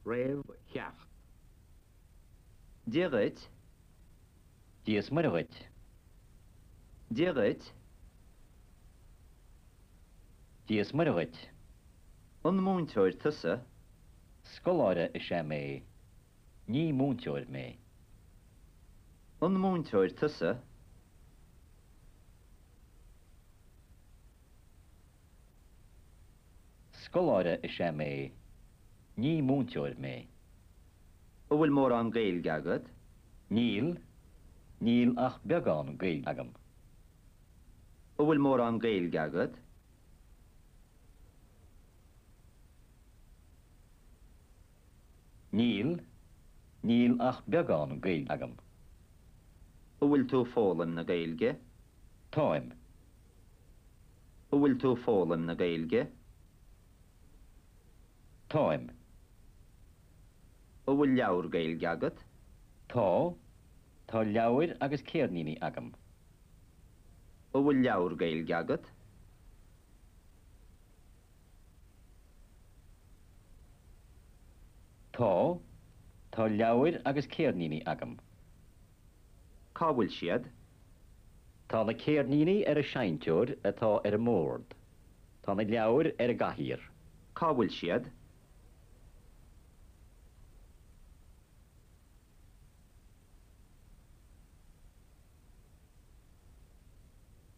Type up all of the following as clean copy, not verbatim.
Réamhcheacht. Dia dhuit. Dia is Muire dhuit. Dia dhuit. Dia is Muire dhuit. An múinteoir tusa? Scoláire is ea mé. Ní múinteoir mé. An múinteoir tusa? Scoláire is ea mé. Ní múinteoir mé. An bhfuil mórán Gaeilge agat? Níl. Níl ach beagán Gaeilge agam. An bhfuil mórán Gaeilge agat? Níl. Níl ach beagán Gaeilge agam. An bhfuil tú ag foghlaim na Gaeilge? Táim. An bhfuil tú ag foghlaim na Gaeilge? Táim. An bhfuil leabhar Gaeilge agat? Tá. Tá leabhair agus ceirníní agam. An bhfuil leabhar Gaeilge agat? Tá. Tá leabhair agus ceirníní agam. Cá bhfuil siad? Tá na ceirníní ar an seinnteoir atá ar an mbord. Tá na leabhair ar an gcathaoir. Cá bhfuil siad?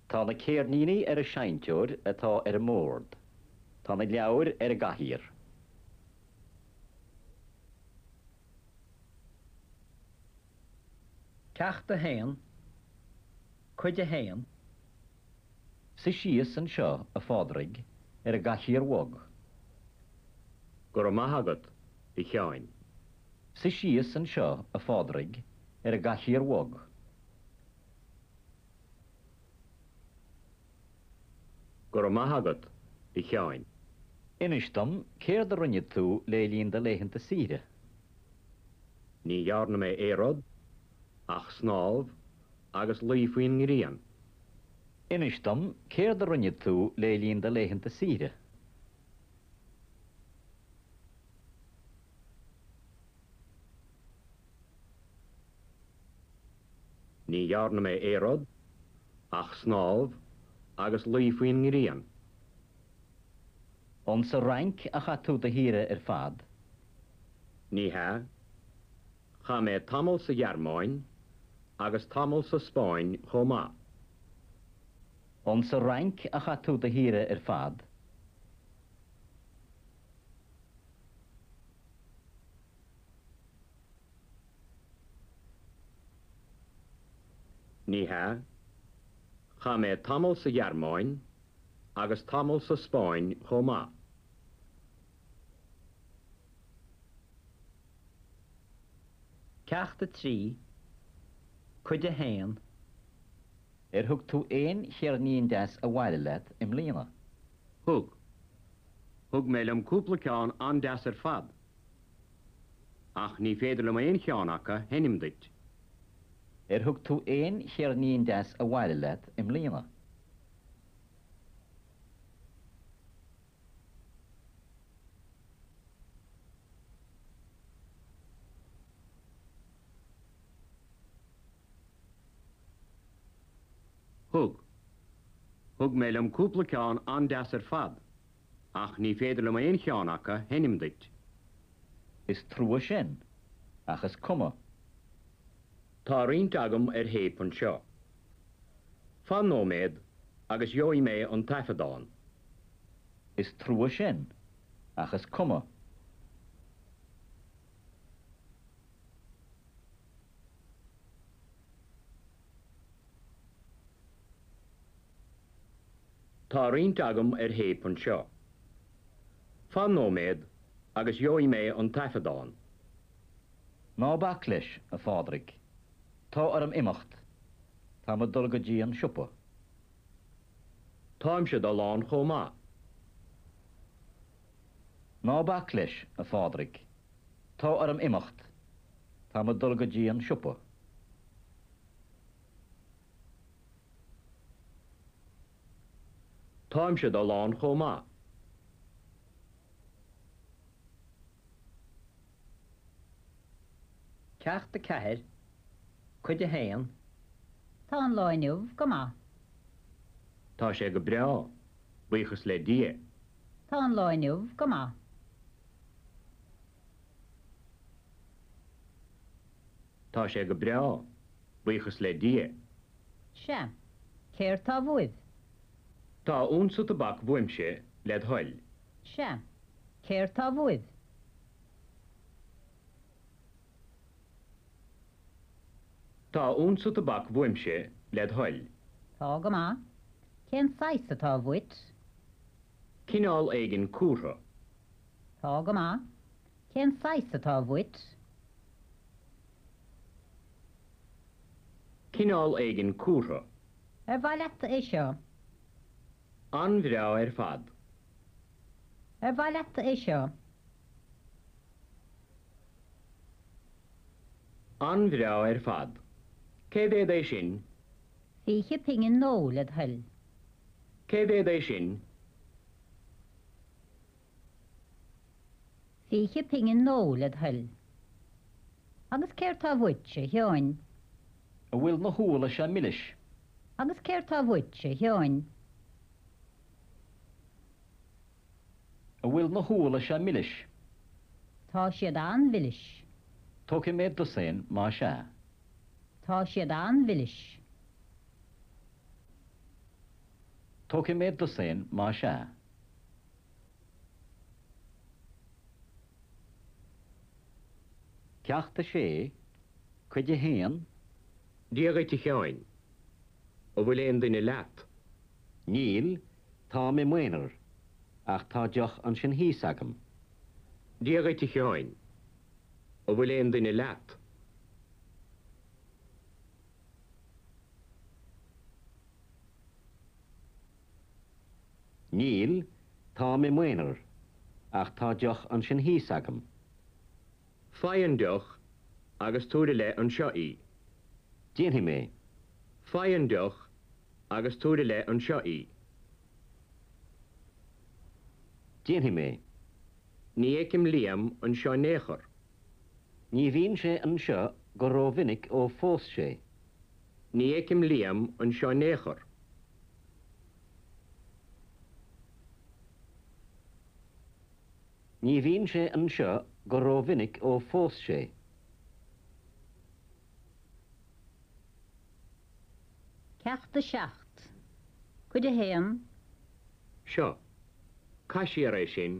Tá na ceirníní ar an seinnteoir atá ar an mbord. Tá na leabhair ar an gcathaoir. Ceacht 1, Cuid 1. Suigh síos anseo, a Phádraig, ar an gcathaoir bhog. Go raibh maith agat, a Sheáin. Suigh síos anseo, a Phádraig, ar an gcathaoir bhog. Go raibh maith agat, a Sheáin. Inis dom céard a rinne tú le linn do laethanta saoire. Ní dhearna mé aon rud ach snámh agus luí faoin ngrian. Inis dom céard a rinne tú le linn do laethanta saoire. Ní dhearna mé aon rud ach snámh agus luí faoin ngrian. An sa Fhrainc a chaith tú do shaoire ar fad? Ní hea. Chaith mé tamall sa Ghearmáin agus tamall sa Spáinn chomh maith. An sa Fhrainc a chaith tú do shaoire ar fad? Ní hea. Chaith mé tamall sa Ghearmáin agus tamall sa Spáinn chomh maith. Ceacht 3, Cuid 1. Ar thug tú aon cheirnín deas abhaile leat i mbliana? Thug. Thug mé liom cúpla ceann an-deas ar fad. Ach ní féidir liom aon cheann acu a sheinm duit. Ar thug tú aon cheirnín deas abhaile leat i mbliana? Thug. Thug mé liom cúpla ceann an-deas ar fad, ach ní féidir liom aon cheann acu a sheinm duit. Is trua sin, ach is cuma. Tá roinnt agam ar théip anseo. Fan nóiméad agus gheobhaidh mé an taifeadán. Is trua sin, ach is cuma. Tá roinnt agam ar théip anseo. Fan nóiméad agus gheobhaidh mé an taifeadán. Ná bac leis, a Phádraig. Tá orm imeacht. Táim ag dul go dtí an siopa. Táimse ag dul ann chomh maith. Ná bac leis, a Phádraig. Tá orm imeacht. Táim ag dul go dtí an siopa. Táimse ag dul ann chomh maith. Ceacht 4, Cuid 1. Tá an lá inniu go maith. Tá sé go breá, buíochas le Dia. Tá an lá inniu go maith. Tá sé go breá, buíochas le Dia. Sea. Céard tá bhuaibh? Tá unsa tobac bhuaimse, led thoil. Sea. Céard tá bhuaibh? Tá unsa tobac bhuaimse, led thoil. Tá go maith. Cén saghas atá bhuait? Cineál éigin cúrtha. Tá go maith. Cén saghas atá bhuait? Cineál éigin cúrtha. Ar mhaith leat é seo? An-bhreá ar fad. Ar mhaith leat é seo? An-bhreá ar fad. Cé mhéad é sin? 20 pingin nó, led thoil. Cé mhéad é sin? 20 pingin nó, led thoil. Agus céard tá bhuait, a Sheáin? An bhfuil na húlla seo milis? Agus céard tá bhuait, a Sheáin? An bhfuil na húlla seo milis? Tá siad an-mhilis. Tógfaidh mé dosaen más ea. Tá siad an-mhilis. Tógfaidh mé dosaen más ea. Ceacht 6, Cuid 1. Dia dhuit a Sheáin. An bhfuil aon duine leat? Níl, táim i m'aonar, ach tá deoch ansin thíos agam. Dia dhuit a Sheáin. An bhfuil aon duine leat? Níl, táim i m'aonar, ach tá deoch ansin thíos agam. Faigh an deoch agus tabhair i leith anseo í. Déanfaidh mé. Faigh an deoch agus tabhair i leith anseo í. Déanfaidh mé. Ní fheicim Liam anseo in aon chor. Ní bhíonn sé anseo go rómhinic ó phós sé. Ní fheicim Liam anseo in aon chor. Ní bhíonn sé anseo go rómhinic ó phós sé. Ceacht 7, Cuid 1. Seo, caith siar é sin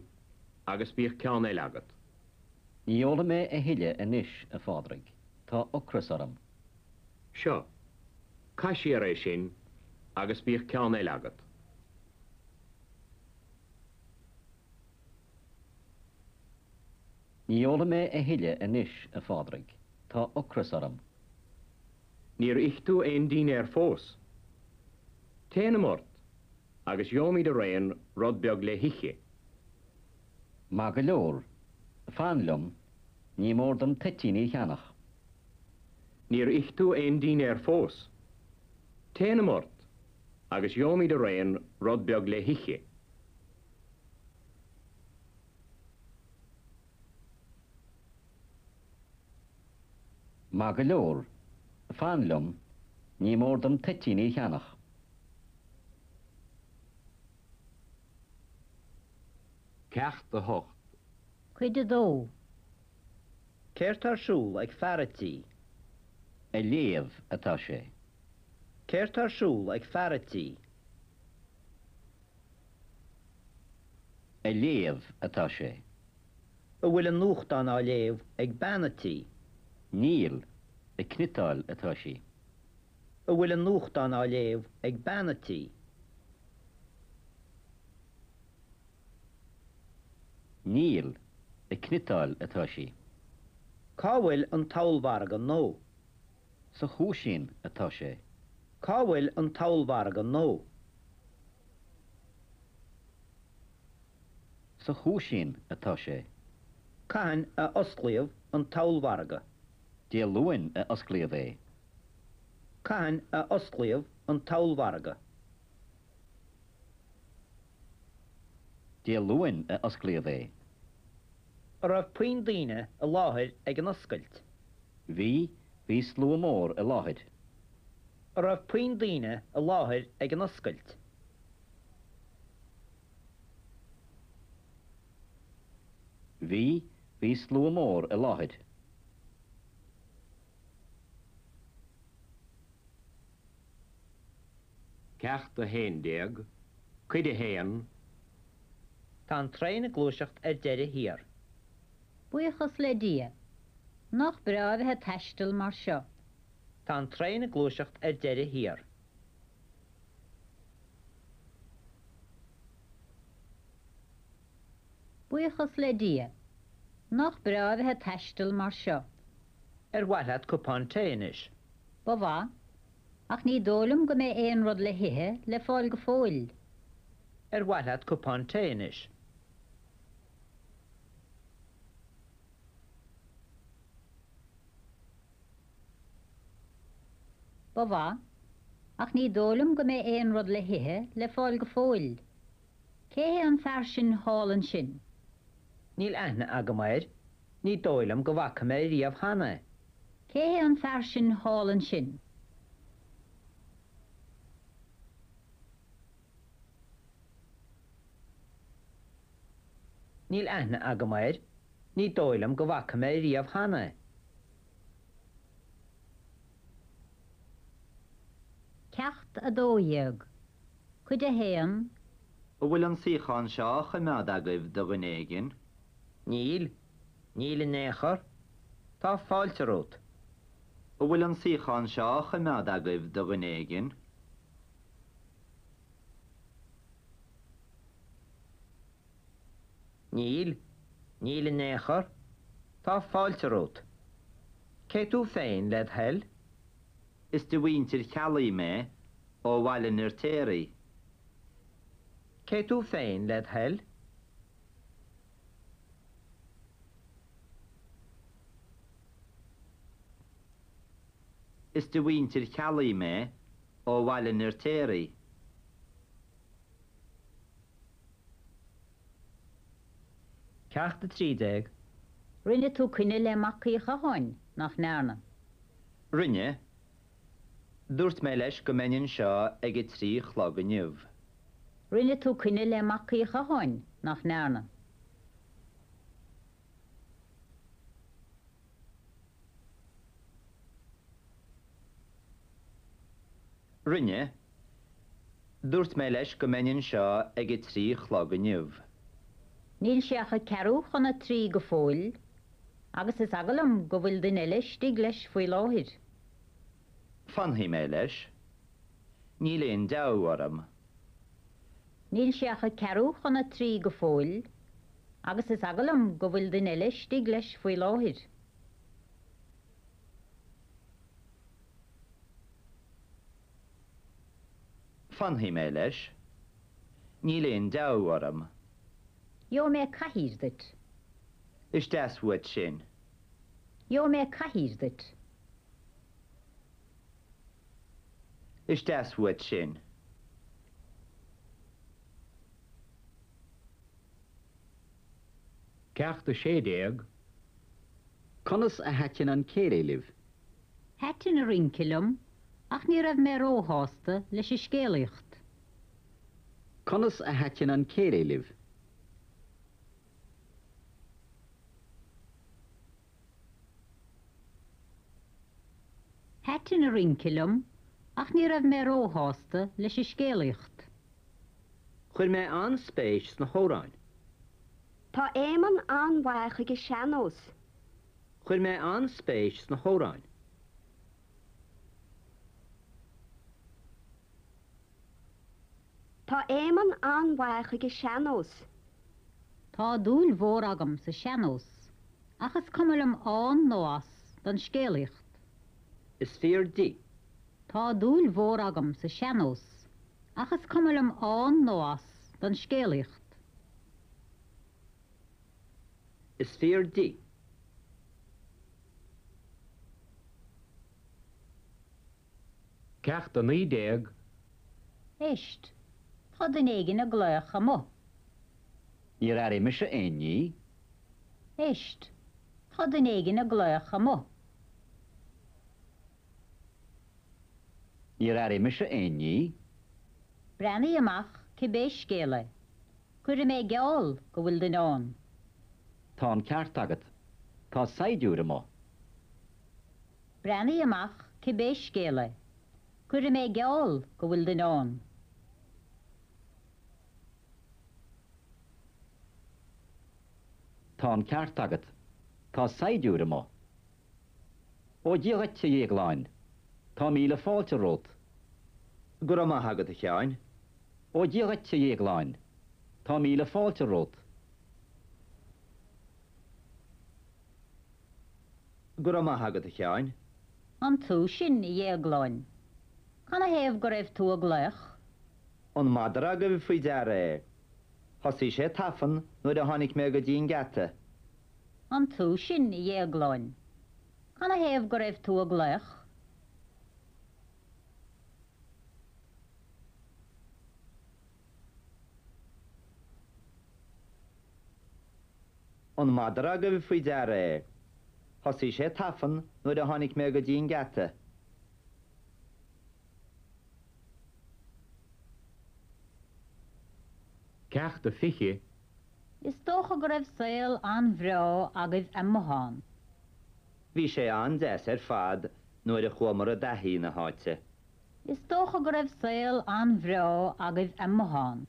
agus bíodh ceann eile agat. Ní ólfaidh mé a thuilleadh anois, a Phádraig, tá ocras orm. Seo, caith siar é sin agus bíodh ceann eile agat. Ní ólfaidh mé a thuilleadh anois, a Phádraig, tá ocras orm. Níor ith tú aon dínnéar fós. Téanam ort agus gheobhaimid araon rud beag le hithe. Maith go leor, fan liom, ní mór dom toitíní a cheannach. Níor ith tú aon dínnéar fós. Téanam ort agus gheobhaimid araon rud beag le hithe. Maith go leor, fan liom, ní mór dom toitíní a cheannach. Ceacht 8. Cuid 2. Céard tá ar siúl ag fear a' tí? Ag léamh atá sé. Céard tá ar siúl ag fear a' tí? Ag léamh atá sé. An bhfuil an nuachtán á léamh ag bean a' tí? Níl, ag cniotáil atá sí. An bhfuil an nuachtán á léamh ag bean a' tí? Níl, ag cniotáil atá sí. Cá bhfuil an t-ollmhargadh nua? Sa chúisín atá sé. Cá bhfuil an t-ollmhargadh nua? Sa chúisín atá sé. Cathain a osclaíodh an t-ollmhargadh? Dé Luain a osclaíodh é. Cathain a osclaíodh an t-ollmhargadh? Dé Luain a osclaíodh é. An raibh puinn daoine i láthair ag an oscailt? Bhí, bhí slua mór i láthair. An raibh puinn daoine i láthair ag an oscailt? Bhí, bhí slua mór i láthair. Ceacht 11, Cuid 1. Tá an traein ag gluaiseacht ar deireadh thiar. Buíochas le Dia. Nach breá a bheith ag taisteal mar seo. Tá an traein ag gluaiseacht ar deireadh thiar. Buíochas le Dia. Nach breá a bheith ag taisteal mar seo. Ar mhaith leat cupán tae anois? Ba mhaith. Ach ní dóigh liom go mbeidh aon rud le hithe le fáil go fóill. Ar mhaith leat cupán tae anois? Ba mhaith. Ach ní dóigh liom go mbeidh aon rud le hithe le fáil go fóill. Cé hé an fear sin thall ansin? Níl aithne agam air. Ní dóigh liom go bhfaca mé riamh cheana é. Cé hé an fear sin thall ansin? Níl aithne agam air. Ní dóigh liom go bhfaca mé riamh cheana é. Ceacht 12, Cuid 1. An bhfuil an suíochán seo á choimeád agaibh do dhuine éigin? Níl. Níl in aon chor. Tá fáilte romhat. An bhfuil an suíochán seo á choimeád agaibh do dhuine éigin? Níl. Níl in aon chor. Tá fáilte romhat. Cé tú féin, led thoil? Is de mhuintir Cheallaigh mé, ó Bhaile an Fheirtéaraigh. Cé tú féin, led thoil? Is de mhuintir Cheallaigh mé, ó Bhaile an Fheirtéaraigh. Ceacht 13. Rinne tú coinne le Mac Uí Chatháin, nach ndearna? Rinne. Dúirt mé leis go mbeinn anseo ag a 3 a chlog inniu. Rinne tú coinne le Mac Uí Chatháin, nach ndearna? Rinne. Dúirt mé leis go mbeinn anseo ag a 3 a chlog inniu. Níl sé ach a ceathrú chun a 3 go fóill, agus is eagal liom go bhfuil duine eile istigh leis faoi láthair. Fanfaidh mé leis. Níl aon deabhadh orm. Níl sé ach a ceathrú chun a 3 go fóill, agus is eagal liom go bhfuil duine eile istigh leis faoi láthair. Fanfaidh mé leis. Níl aon deabhadh orm. Gheobhaidh mé cathaoir duit. Is deas uait sin. Gheobhaidh mé cathaoir duit. Is deas uait sin. Ceacht 16. Conas a thaitin an céilí libh? Thaitin an rince liom ach ní raibh mé róshásta leis an scéalaíocht. Conas a thaitin an céilí libh? Thaitin an rince liom ach ní raibh mé róshásta leis an scéalaíocht. Chuir mé an-spéis sna hamhráin. Tá Éamonn an-mhaith ag an sean-nós. Chuir mé an-spéis sna hamhráin. Tá Éamonn an-mhaith ag an sean-nós. Tá dúil mhór agam sa sean-nós, ach is cuma liom ann nó as don scéalaíocht. Is fíor di. Tá dúil mhór agam sa sean-nós, ach is cuma liom ann nó as don scéalaíocht. Is fíor di. Ceacht 19. Éist, tá duine éigin ag glaoch amuigh. Níor airigh mise aon ní. Éist, tá duine éigin ag glaoch amuigh. Níor airigh mise aon ní. Breathnaigh amach cibé scéal é. Cuirfidh mé geall go bhfuil duine ann. Tá an ceart agat. Tá saighdiúir amuigh. Breathnaigh amach cibé scéal é. Cuirfidh mé geall go bhfuil duine ann. Tá an ceart agat. Tá saighdiúir amuigh. Ó Dia dhuit, a Dhéagláin. Tá míle fáilte romhat. Go raibh maith agat, a Sheáin. Ó Dia dhuit, a Dhéagláin. Tá míle fáilte romhat. Go raibh maith agat, a Sheáin. An tú sin, a Dhéagláin? Canathaobh go raibh tú ag glaoch? An madra agaibh faoi deara é? Thosaigh sé tafann nuair a tháinig mé go dtí an geata. An tú sin, a Dhéagláin? Canathaobh go raibh tú ag glaoch? An madra agaibh faoi deara é? Thosaigh sé tafann nuair a tháinig mé go dtí an geata. Ceacht a 20. Is dócha go raibh saol an-bhreá agaibh amuigh ann. Bhí sé an-deas ar fad nuair a chuamar i dtaithí na háite. Is dócha go raibh saol an-bhreá agaibh amuigh ann.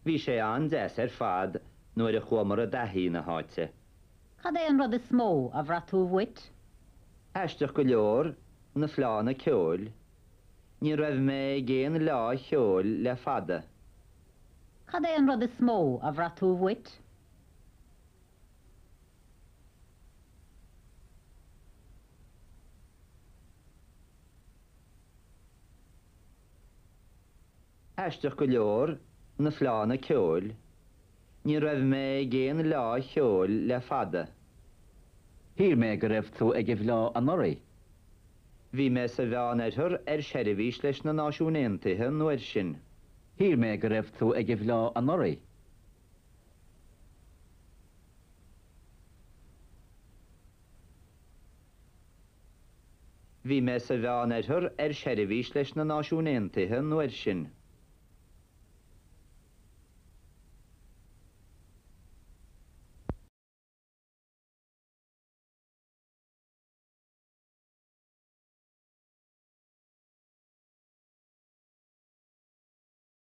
Bhí sé an-deas ar fad nuair a chuamar i dtaithí na háite. Cad é an rud is mó a bhraith tú uait? Aisteach go leor, na fleánna ceoil. Ní raibh mé ag aon fhleá cheoil le fada. Cad é an rud is mó a bhraith tú uait? Aisteach go leor, na fleánna ceoil. Ní raibh mé ag aon fhleá cheoil le fada. Shíl mé go raibh tú ag an bhfleá anuraidh. Bhí mé sa Mheánoirthear ar seirbhís leis na Náisiúin Aontaithe an uair sin. Shíl mé go raibh tú ag an bhfleá anuraidh. Bhí mé sa Mheánoirthear ar seirbhís leis na Náisiúin Aontaithe an uair sin.